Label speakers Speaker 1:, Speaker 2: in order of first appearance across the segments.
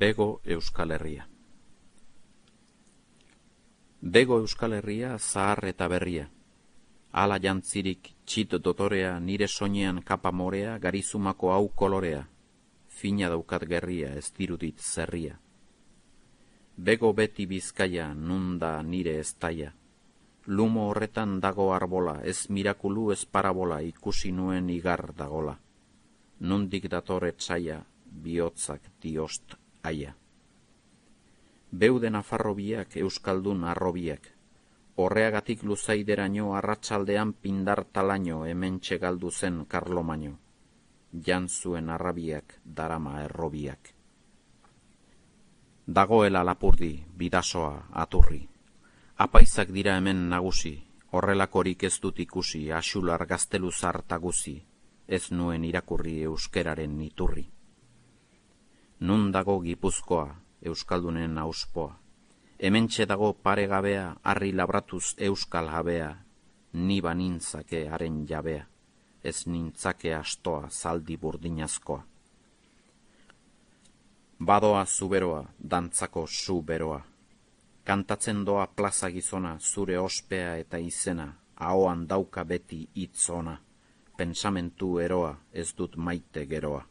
Speaker 1: Bego Euskal Herria. Bego Euskal Herria zahar eta berria. Ala jantzirik txit dotorea, nire soinean kapa morea, garizumako hau kolorea. Fina daukat gerria, ez dirudit zerria. Bego beti Bizkaia, nun da nire eztaia. Lumo horretan dago arbola, ez mirakulu ez parabola, ikusi nuen igar dagola. Nundik dator etsaia, bihotzak diost aia. Beude Nafarrobiak, Euskaldun arrobiak. Horreagatik luzaideraino arratsaldean pindar talaino hementxe galdu zen Karlomaino. Jan zuen arrabiak, darama errobiak. Dagoela Lapurdi, Bidasoa, Aturri. Apaizak dira hemen nagusi, horrelakorik ez dut ikusi, axular gazteluzar taguzi, ez nuen irakurri euskeraren iturri. Nun dago Gipuzkoa, Euskaldunen auspoa. Hementxe dago paregabea, harri labratuz euskal jabea, ni banintzake haren jabea, ez nintzake astoa zaldi burdinazkoa. Badoa zuberoa, dantzako zu beroa. Kantatzen doa plaza gizona, zure ospea eta izena, ahoan dauka beti hitz ona, pentsamentu eroa, ez dut maite geroa.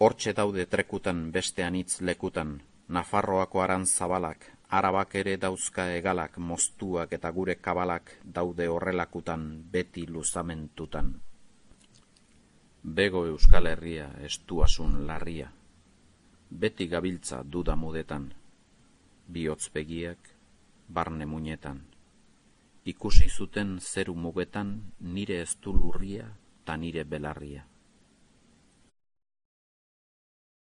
Speaker 1: Hortxe daude trekutan bestean hitz lekutan, Nafarroako arantzabalak, Arabak ere dauzka egalak, moztuak eta gure kabalak daude horrelakutan beti luzamentutan. Bego Euskal Herria estuasun larria, beti gabiltza duda mudetan, bihotz begiak, barne muinetan. Ikusi zuten zeru mugetan nire eztu lurria ta nire belarria.